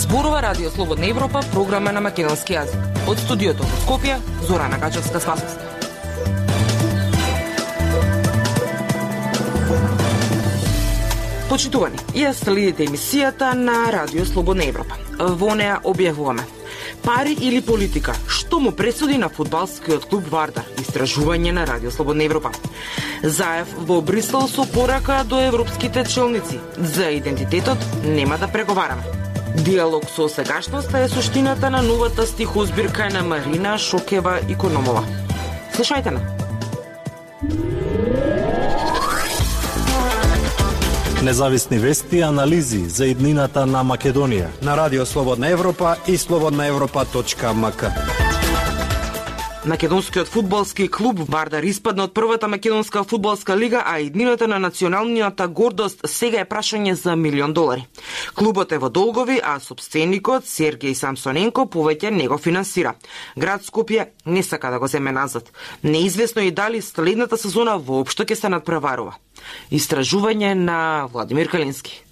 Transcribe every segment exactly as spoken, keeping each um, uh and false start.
Зборува Радио Слободна Европа, програма на македонски јазик. Од студиото во Скопје, Зорана Гачевска-Спасовска. Почитувани, ја следите емисијата на Радио Слободна Европа. Во неа објавуваме пари или политика, што му пресуди на фудбалскиот клуб Вардар, истражување на Радио Слободна Европа. Заев во Брисел со порака до европските челници, за идентитетот нема да преговараме. Диалог со сегашноста е суштината на новата стихозбирка на Марина Шокева-Икономова. Слушајте на. Независни вести и анализи за иднината на Македонија на Радио Слободна Европа и слободна европа точка ем ка. Македонскиот фудбалски клуб Вардар испадна од првата македонска фудбалска лига, а иднината на националниот гордост сега е прашање за милион долари. Клубот е во долгови, а собственикот Сергеј Самсоненко повеќе не го финансира. Град Скопје не сака да го земе назад. Неизвестно и дали следната сезона воопшто ќе се надпреварува. Истражување на Владимир Калински.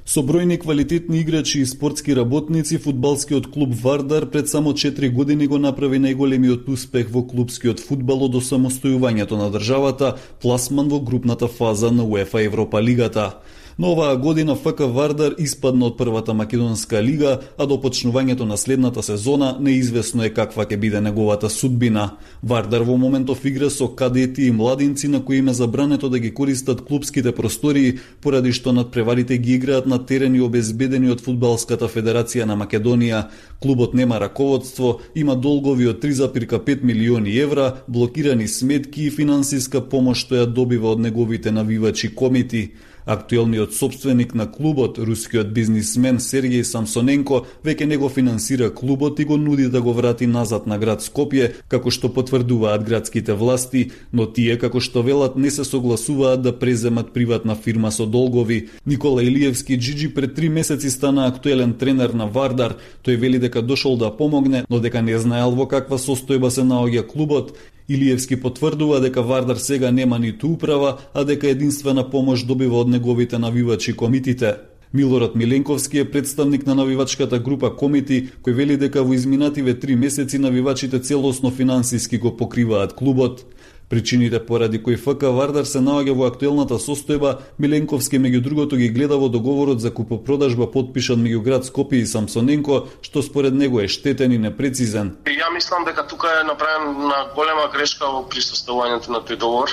Со бројни квалитетни играчи и спортски работници, фудбалскиот клуб Вардар пред само четири години го направи најголемиот успех во клубскиот фудбал од осамостојувањето на државата, пласман во групната фаза на УЕФА Европа лигата. Но оваа година ФК Вардар испадна од првата македонска лига, а до почнувањето на следната сезона неизвестно е каква ќе биде неговата судбина. Вардар во моментов игра со кадети и младинци на кои им е забрането да ги користат клубските простории, поради што надпреварите ги играат на терени обезбедени од Фудбалската федерација на Македонија. Клубот нема раководство, има долгови од три зарез и пет милиони евра, блокирани сметки и финансиска помош што ја добива од неговите навивачи комити. Актуелниот собственик на клубот, рускиот бизнисмен Сергеј Самсоненко, веќе не го финансира клубот и го нуди да го врати назад на град Скопје, како што потврдуваат градските власти, но тие, како што велат, не се согласуваат да преземат приватна фирма со долгови. Никола Илиевски Джиджи пред три месеци стана актуелен тренер на Вардар. Тој вели дека дошол да помогне, но дека не знаел во каква состојба се наоѓа клубот. Илиевски потврдува дека Вардар сега нема ниту управа, а дека единствена помош добива од неговите навивачи комитите. Милорад Миленковски е представник на навивачката група Комити, кој вели дека во изминативе три месеци навивачите целосно финансиски го покриваат клубот. Причините поради кои ФК Вардар се наоѓа во актуелната состојба, Миленковски меѓу другото ги гледа во договорот за купопродажба подпишан меѓу град Скопје и Самсоненко, што според него е штетен и непрецизен. Ја мислам дека тука е направена голема грешка во присуствувањето на тој договор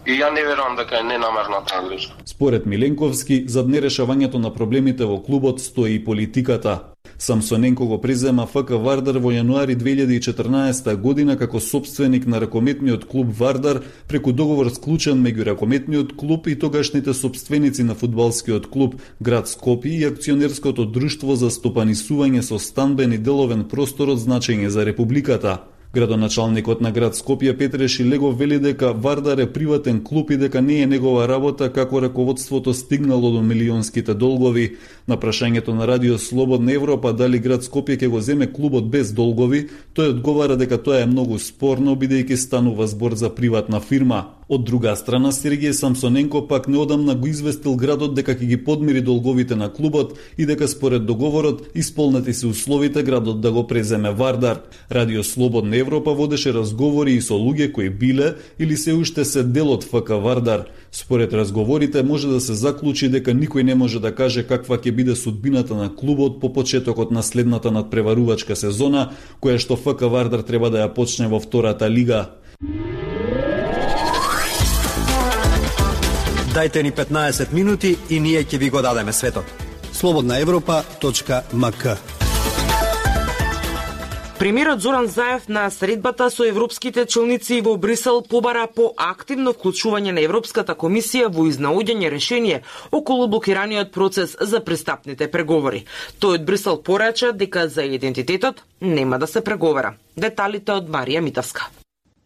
и ја не верувам дека е ненамерна таа грешка. Според Миленковски, зад нерешавањето на проблемите во клубот стои и политиката. Самсоненко го презема ФК Вардар во јануари две илјади и четрнаесета година како собственик на ракометниот клуб Вардар преку договор склучен меѓу ракометниот клуб и тогашните собственици на фудбалскиот клуб град Скопје и акционерското друштво за стопанисување со станбен и деловен простор од значење за републиката. Градоначалникот на град Скопје Петре Шилегов вели дека Вардар е приватен клуб и дека не е негова работа како раководството стигнало до милионските долгови. На прашањето на Радио Слободна Европа дали град Скопје ќе го земе клубот без долгови, тој одговара дека тоа е многу спорно бидејќи станува збор за приватна фирма. Од друга страна, Сергеј Самсоненко пак неодамна го известил градот дека ќе ги подмири долговите на клубот и дека според договорот исполнети се условите градот да го преземе Вардар. Радио Слободна Европа водеше разговори и со луѓе кои биле или се уште се дел од ФК Вардар. Според разговорите може да се заклучи дека никој не може да каже каква ќе биде судбината на клубот по почетокот на следната надпреварувачка сезона, која што ФК Вардар треба да ја почне во втората лига. Дајте ни петнаесет минути и ние ќе ви го дадеме светот. слободна европа точка ем ка. Премиерот Зоран Заев на средбата со европските челници во Брисел побара по активно вклучување на Европската комисија во изнаоѓање решение околу блокираниот процес за пристапните преговори. Тој од Брисел порача дека за идентитетот нема да се преговара. Деталите од Марија Митовска.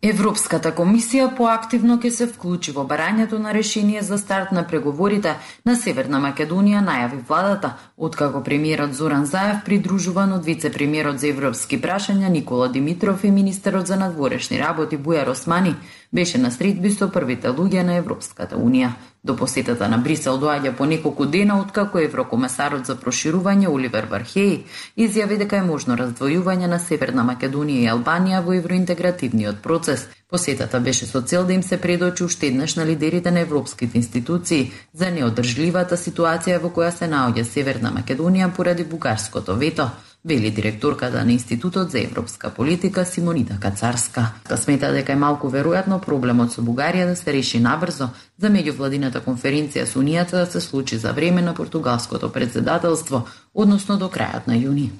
Европската комисија поактивно ќе се вклучи во барањето на решение за старт на преговорите на Северна Македонија, најави владата, откако премиерот Зоран Заев, придружуван од вице-премиерот за европски прашања Никола Димитров и министерот за надворешни работи Бујар Османи, беше на средби со првите луѓе на Европската унија. До посетата на Брисел доаѓа по неколку дена откако еврокомесарот за проширување Оливер Вархеј изјави дека е можно раздвојување на Северна Македонија и Албанија во евроинтегративниот процес. Посетата беше со цел да им се предочи уште еднаш на лидерите на европските институции за неодржливата ситуација во која се наоѓа Северна Македонија поради бугарското вето, вели директорката на Институтот за европска политика Симонита Кацарска. Та смета дека е малку веројатно проблемот со Бугарија да се реши набрзо за меѓувладината конференција со Унијата да се случи за време на португалското председателство, односно до крајот на јуни.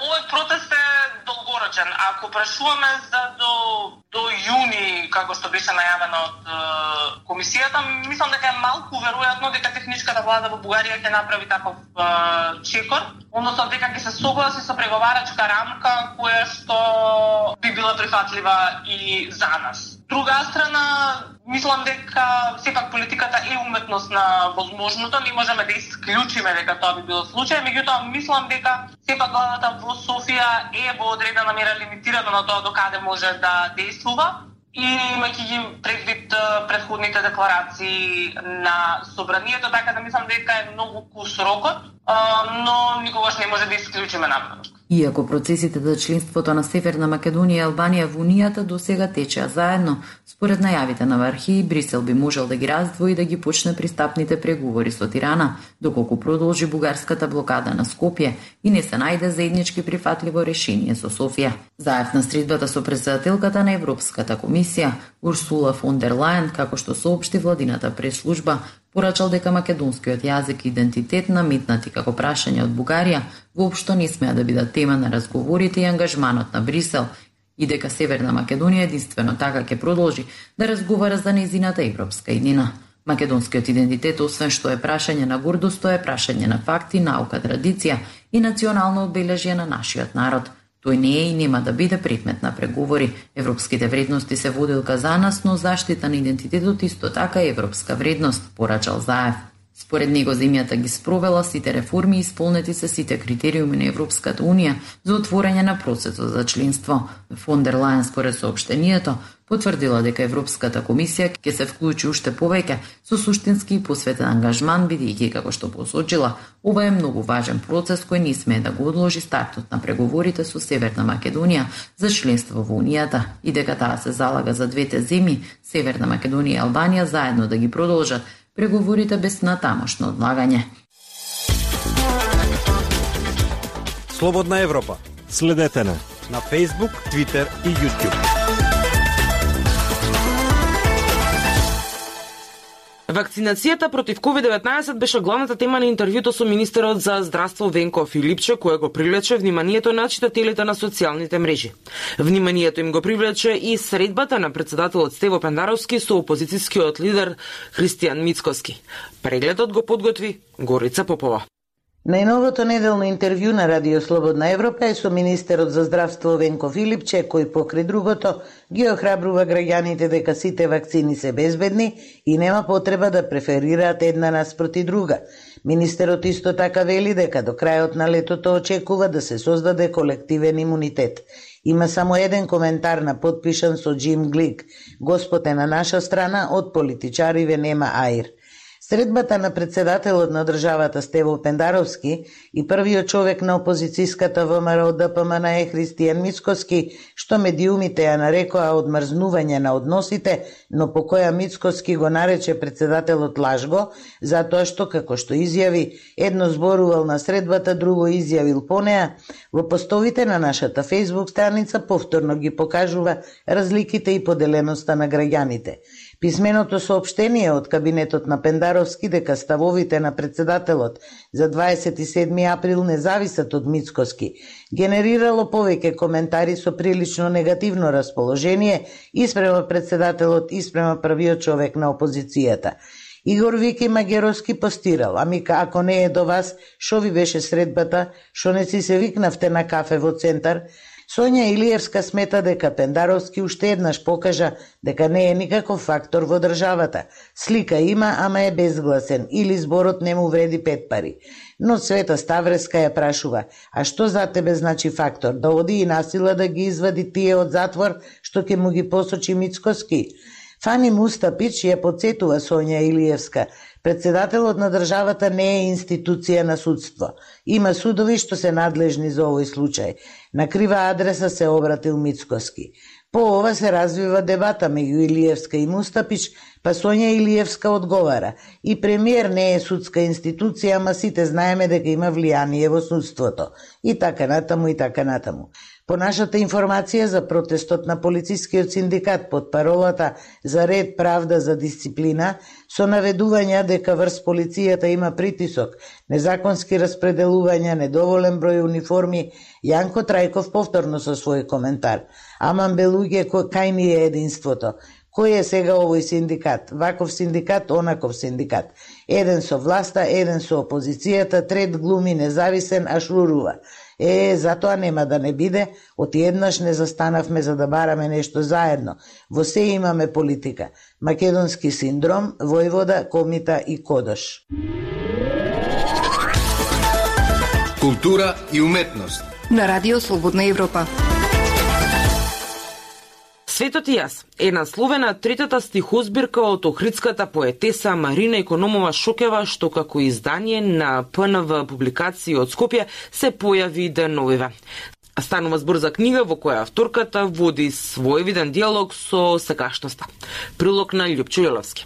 Овој процес е долгорочен. Ако прашуваме за до до јуни, како што беше најавено од е, комисијата, мислам дека е малку веројатно дека техничката влада во Бугарија ќе направи таков е, чекор, односно дека ќе се согласи со преговарачка рамка која што би била прифатлива и за нас. Друга страна, мислам дека сепак политиката е уметност на возможното, не можеме да исклучиме дека тоа би било случај, меѓутоа мислам дека сепак владата во Софија е во одредена мера лимитирана на тоа до каде може да действува и имајќи ги предвид предходните декларации на собранието, така да мислам дека е многу кус рокот, но никогаш не може да исклучиме напредок. Иако процесите за членството на Северна Македонија и Албанија во Унијата досега течеа заедно, според најавите на Вархеј, Брисел би можел да ги раздвои и да ги почне пристапните преговори со Тирана, доколку продолжи бугарската блокада на Скопје и не се најде заеднички прифатливо решение со Софија. Заев на средбата со претседателката на Европската комисија Урсула фон дер Лајен, како што соопшти владината пресслужба, порачал дека македонскиот јазик и идентитет наметнати како прашање од Бугарија воопшто не смеа да бидат тема на разговорите и ангажманот на Брисел и дека Северна Македонија единствено така ќе продолжи да разговара за нејзината европска иднина. Македонскиот идентитет, освен што е прашање на гордост, е прашање на факти, наука, традиција и национално обележје на нашиот народ. Тој не е и нема да биде предмет на преговори. Европските вредности се водилка за нас, но заштита на идентитетот исто така е европска вредност, порачал Заев. Според него земјата ги спровела сите реформи и исполнети се сите критериуми на Европската Унија за отворање на процесот за членство. Фон дер Лајен според соопштението потврдила дека Европската комисија ќе се вклучи уште повеќе со суштински и посветен ангажман, бидејќи како што посочила, ова е многу важен процес кој не смее да го одложи стартот на преговорите со Северна Македонија за членство во Унијата и дека таа се залага за двете земји, Северна Македонија и Албанија, заедно да ги продолжат преговорите без натамошно одлагање. Слободна Европа. Следете на на Facebook, Twitter и YouTube. Вакцинацијата против ковид деветнаесет беше главната тема на интервјуто со министерот за здравство Венко Филипче, кој го привлече вниманието на читателите на социјалните мрежи. Вниманието им го привлече и средбата на председателот Стево Пендаровски со опозицијскиот лидер Христијан Мицкоски. Прегледот го подготви Горица Попова. Најновото неделно интервју на Радио Слободна Европа е со министерот за здравство Венко Филипче, кој покрај другото ги охрабрува граѓаните дека сите вакцини се безбедни и нема потреба да преферираат една наспроти друга. Министерот исто така вели дека до крајот на летото очекува да се создаде колективен имунитет. Има само еден коментар на подпишан со Джим Глик. Господ е на наша страна, од политичариве нема аир. Средбата на председателот на државата Стево Пендаровски и првиот човек на опозицијската ВМРО Д П М Н е Христијан Мицкоски, што медиумите ја нарекоа одмрзнување на односите, но по која Мицкоски го нарече председателот лажго, затоа што, како што изјави, едно зборувал на средбата, друго изјавил по неа, во постовите на нашата Facebook страница повторно ги покажува разликите и поделеноста на граѓаните. Писменото соопштение од кабинетот на Пендаровски дека ставовите на председателот за дваесет и седми април не зависат од Мицкоски генерирало повеќе коментари со прилично негативно расположение и спрема председателот и спрема првиот човек на опозицијата. Игор Вики Магеровски постирал: ами ако не е до вас, шо ви беше средбата, шо не си се викнавте на кафе во центар? Сонја Илиевска смета дека Пендаровски уште еднаш покажа дека не е никаков фактор во државата. Слика има, ама е безгласен, или зборот не му вреди пет пари. Но Света Ставреска ја прашува: а што за тебе значи фактор? Да оди и насила да ги извади тие од затвор, што ќе му ги посочи Мицкоски? Фани Мустапич ја подсетува Сонја Илиевска. Председателот на државата не е институција на судство. Има судови што се надлежни за овој случај. На крива адреса се обратил Мицкоски. По ова се развива дебата меѓу Илиевска и Мустапич, па Сонја Илиевска одговара: и премиер не е судска институција, ама сите знаеме дека има влијание во судството. И така натаму, и така натаму. По нашата информација за протестот на полицискиот синдикат под паролата за ред, правда, за дисциплина, со наведувања дека врз полицијата има притисок, незаконски распределувања, недоволен број униформи, Јанко Трајков повторно со свој коментар: аман бе луѓе, кај ни е единството? Кој е сега овој синдикат? Ваков синдикат, онаков синдикат. Еден со власта, еден со опозицијата, трет глуми независен, а шурува. Е, затоа нема да не биде, оти еднаш не застанавме за да бараме нешто заедно. Во се имаме политика. Македонски синдром, Војвода, Комита и Кодош. Култура и уметност на Радио Слободна Европа. Светот и јас е насловена третата стихозбирка од охридската поетеса Марина Икономова Шокева, што како издание на П Н В публикации од Скопје се појави деновиве. Станува збор за книга во која авторката води свој виден диалог со сегашноста. Прилог на Љупчо Јоловски.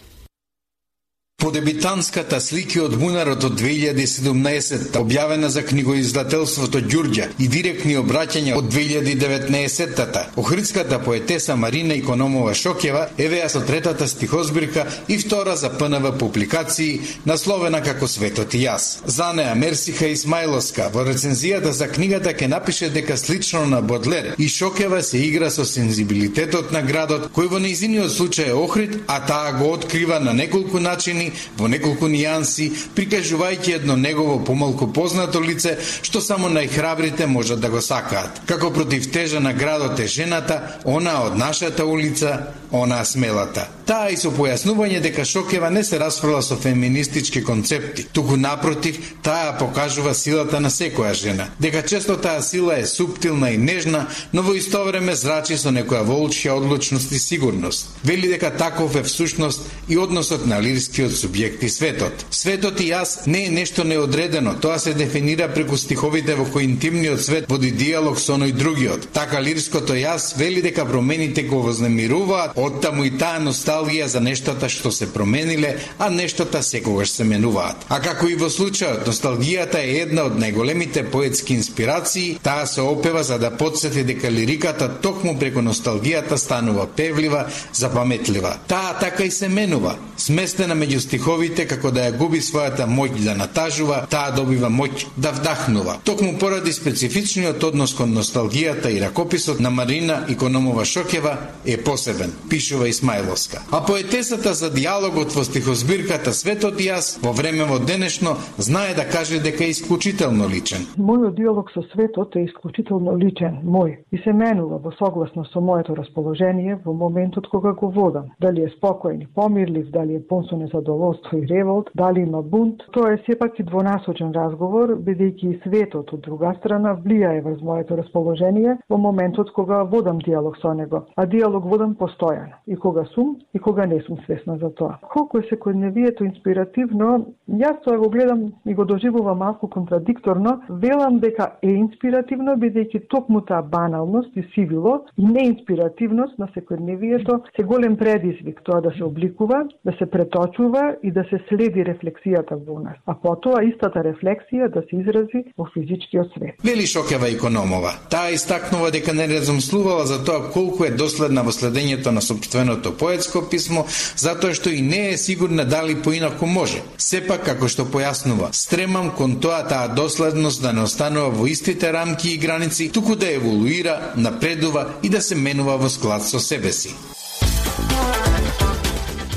По дебитанската слики од бунарот од две илјади и седумнаесетта, објавена за книгоиздателството Ѓурѓа и директни обраќања од две илјади и деветнаесеттата, охридската поетеса Марина Икономова Шокева евеа со третата стихозбирка и втора за П Н В публикации, насловена како Светот и јас. За неа Мерсиха Исмаиловска во рецензијата за книгата ќе напише дека слично на Бодлер и Шокева се игра со сензибилитетот на градот, кој во нејзиниот случај е Охрид, а таа го открива на неколку начини, во неколку нијанси, прикажувајќи едно негово помалку познато лице, што само најхрабрите можат да го сакаат. Како против тежа на градот е жената, она од нашата улица, она смелата. Таа и со појаснување дека Шокева не се расфрла со феминистички концепти, туку напротив, таа покажува силата на секоја жена, дека често таа сила е суптилна и нежна, но во исто време зрачи со некоја волчја одлучност и сигурност. Вели дека таков е всушност и односот на лирскиот субјект и светот. Светот и јас не е нешто неодредено, тоа се дефинира преку стиховите во кои интимниот свет води диалог со оној другиот. Така лирското јас вели дека промените го вознемируваат, оттаму и таа носталгија за нештата што се промениле, а нештата секогаш се менуваат. А како и во случајот, носталгијата е една од најголемите поетски инспирации, таа се опева за да потсети дека лириката токму преку носталгијата станува певлива, запаметлива. Таа така и се менува, сместена меѓу стиховите, како да ја губи својата моќ да натажува, таа добива моќ да вдахнува. Токму поради специфичниот однос кон носталгијата и ракописот на Марина Икономова Шокева е посебен, пишува Исмаиловска. А поетесата за диалогот во стихозбирката Светот и јас во време во денешно знае да каже дека е исклучително личен. Мојот диалог со светот е исклучително личен, мој, и се менува во согласно со моето расположение во моментот кога го водам. Дали е спокоен и помирлив, дали е пон со незадоволство и револт, дали има бунт, тоа е сепак и двонасочен разговор, бидејќи и светот од друга страна влијае врз моето расположение во моментот кога водам диалог со него. А диалог водам постојано, и кога сум, и кога не сум свесна за тоа. Колку е секојдневието инспиративно, јас тоа го гледам и го доживувам малку контрадикторно, велам дека е инспиративно, бидејќи токму таа баналност и сивило и неинспиративност на секојдневието се голем предизвик тоа да се обликува, да се преточува и да се следи рефлексијата во нас. А потоа истата рефлексија да се изрази во физичкиот свет. Вели Шокева Икономова. Таа истакнува дека не размислувала за тоа колку е доследна во следењето на сопственото поетско писмо, затоа што и не е сигурна дали поинаку може. Сепак, како што појаснува, стремам кон тоа таа доследност да не останува во истите рамки и граници, туку да еволуира, напредува и да се менува во склад со себе си.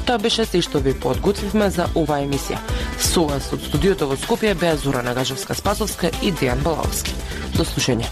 Тоа беше се што ви подготвивме за оваа емисија. Со вас од студиото во Скопје беа Зора Нагажевска-Спасовска и Дејан Балаовски. До слушање.